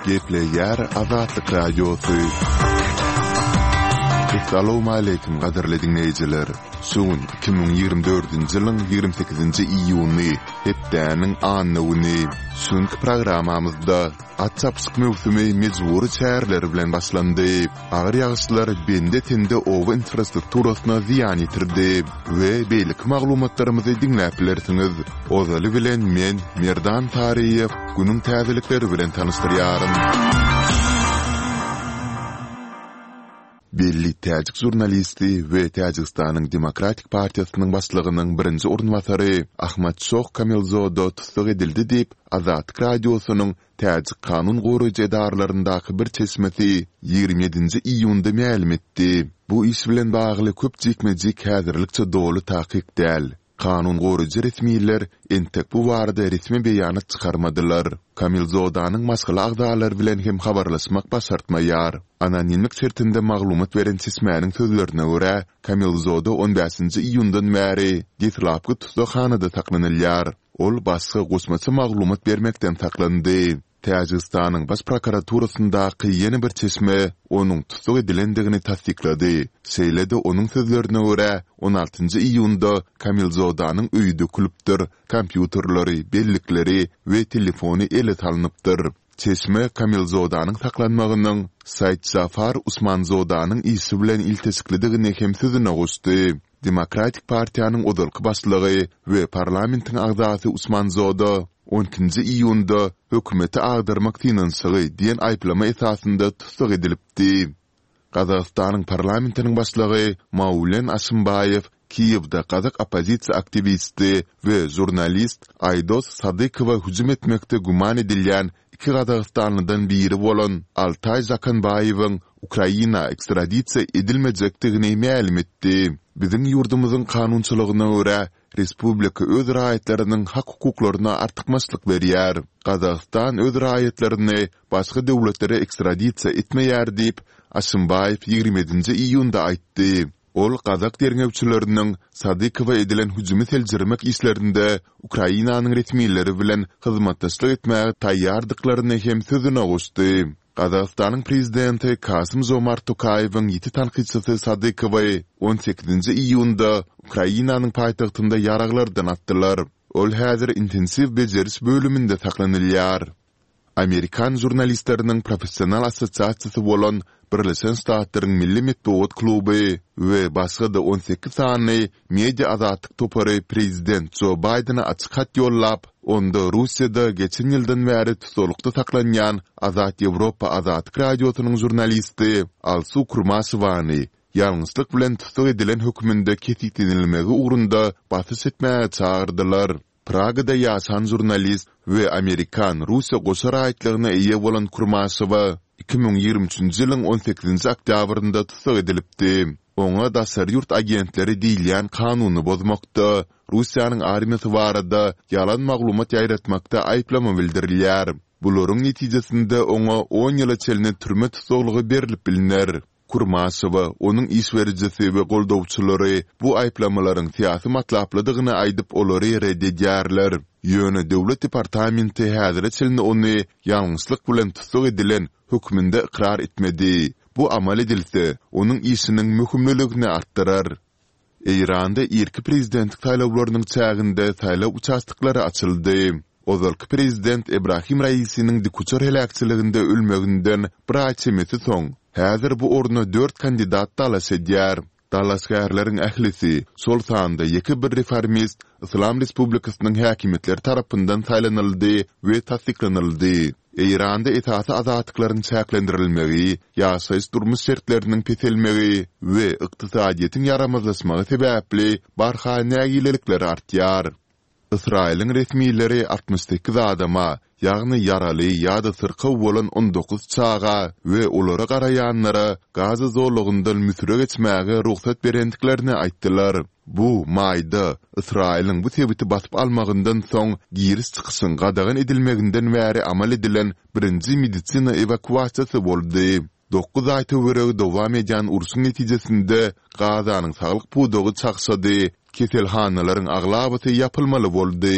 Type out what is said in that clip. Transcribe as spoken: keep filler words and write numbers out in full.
Gepleýär Azatlyk Radiosy. Essalawmaleýkim gadyrly diňleýjiler! Şu gün iki müň ýigrimi dördünji ýylyň ýigrimi sekizinji iýuny, hepdäniň anna güni. Şu günki programmamyzda at çapyşyk möwsümi mejbury çäreler bilen başlandy. Agyr ýagyşlar bende-sende oba infrastrukturasyna zyýan ýetirdi we beýleki maglumatlarymyzy diňläp bilersiňiz. Ozaly bilen men, Merdan Taryýew, günüň täzelikleri bilen tanyşdyrýaryn. Belli täjik žurnalisti we Täjigistanyň Demokratik partiýasynyň başlygynyň birinji orunbasary Ahmadşoh Kamilzoda tussag edildi diýip, Azatlyk Radiosynyň Täjik kanun goraýjy edaralaryndaky bir çeşmesi ýigrimi ýedinji iýunda mälim etdi. Bu iş bilen bagly köp jikme-jik häzirlikçe doly takyk däl. Kanun goraýjy resmiler entek bu barada resmi beýanat çykarmadylar. Kamilzodanyň maşgala agzalary bilen hem habarlaşmak başartmaýar. Anonimlik şertinde maglumat beren çeşmäniň sözlerine görä, Kamilzoda on bäşinji iýundan bäri deslapky tussaghanada saklanylýar. Ol başga goşmaça maglumat bermekden saklandy. Täjigistanyň Baş prokuraturasyndaky ýene bir çeşme onuň tussag edilendigini tassyklady. Şeýle-de onuň sözlerine görä, on altynjy iýunda Kamilzodanyň öýi dökülipdir, kompýuterleri, bellikleri we telefony ele salnypdyr. Çeşme Kamilzodanyň saklanmagynyň Saidjafar Usmanzodanyň işi bilen ilteşiklidigini hem sözüne goşdy. Demokratik partiýanyň ozalky başlygy we parlamentiň agzasy Usmanzoda on ikinji iýunda hökümeti agdarmak synanyşygy diýen aýyplama esasynda tussag edilipdi. Gazagystanyň parlamentiniň başlygy Maulen Aşimbaýew Kiýewde gazak oppozisiýa aktiwisti we žurnalist Aýdos Sadykowa hüjüm etmekde güman edilýän iki gazagystanlydan biri bolan Altaý Žakanbaýewiň Ukraina ekstradisiýa edilmejekdigini mälim etdi. Biziň ýurdumyzyň kanunçylygyna görä, respublika öz raýatlarynyň hak-hukuklaryna artykmaçlyk berýär. Gazagystan öz raýatlaryny başga döwletlere ekstradisiýa etmeýär diýip, Aşimbaýew ýigrimi ýedinji iýunda aýtdy. Ol gazak derňewçileriniň Sadykowa edilen hüjümi seljermek işlerinde Ukrainanyň resmileri bilen hyzmatdaşlyk etmäge taýýardyklaryny hem sözüne goşdy. Gazagystanyň prezidenti Kasym-Žomart Tokaýewiň ýiti tankytçysy Sadykowy on sekizinji iýunda Ukrainanyň paýtagtynda ýaraglardan atdylar. Ol häzir intensiw bejeriş bölüminde saklanylýar. Amerikan žurnalistleriniň professional assosiasiýasy bolan Birleşen Ştatlaryň Milli metbugat kluby we başga-da on sekiz sany media azatlyk topary prezident Jo Baýdene açyk hat ýollap, onda Russiýada geçen ýyldan bäri tussaglykda saklanýan Azat Ýewropa Azatlyk Radiosynyň žurnalisti Alsu Kurmaşewany ýalňyşlyk bilen tussag edilen hökmünde kesgitlenilmegi ugrunda basyş etmäge çagyrdylar. Pragada ýaşan žurnalist we amerikan-russiýa goşa raýatlygyna eýe bolan Kurmaşewa iki müň ýigrimi üçünji ýylyň on sekizinji oktýabrynda tussag edilipdi. Oňa daşary ýurt agentleri diýilýän kanuny bozmakda, Russiýanyň armiýasy barada ýalan maglumat ýaýratmakda aýyplama bildirilýär. Bularyň netijesinde oňa on ýyla çenli türme tussaglygy berlip bilner. Kurmaşewa, onuň iş berijisi we goldawçylary bu aýyplamalaryň syýasy matlaplydygyny aýdyp olary ret edýärler. Ýöne Döwlet departamenti häzire çenli ony ýalňyşlyk bilen tussag edilen hökmünde ykrar etmedi. Bu amal edilse, onuň işiniň möhümliligini artdyrar. Eýranda irki prezidentlik saýlawlarynyň çäginde saýlaw uçastoklary açyldy. Ozalky prezident Ebrahim Raisiniň dikuçar heläkçiliginde ölmeginden bir aý çemesi soň, häzir bu orna dört kandidat dalaş edýär. Dalaşgärleriň ählisi, şol sanda ýeke bir reformist Yslam Respublikasynyň häkimiýetleri tarapyndan saýlanyldy we tassyklanyldy. Eýranda esasy azatlyklaryň çäklendirilmegi, ýaşaýyş-durmuş şertleriniň peselmegi we ykdysadyýetiň ýaramazlaşmagy sebäpli barha nägilelikler artýar. Ysraýylyň resmileri altmyş sekiz adama, ýagny ýaraly ýa-da syrkaw bolan on dokuz çaga we olara garaýanlara Gaza zolagyndan Müsüre geçmäge rugsat berendiklerini aýtdylar. Bu maýda, Ysraýylyň bu sebiti basyp almagyndan soň giriş-çykyşyň gadagan edilmeginden bäri amal edilen birinji medisina ewakuasiýasy boldy. Dokuz aý töweregi dowam edýän urşuň netijesinde Gazanyň saglyk pudagy çagşady, keselhanalaryň aglabasy ýapylmaly boldy.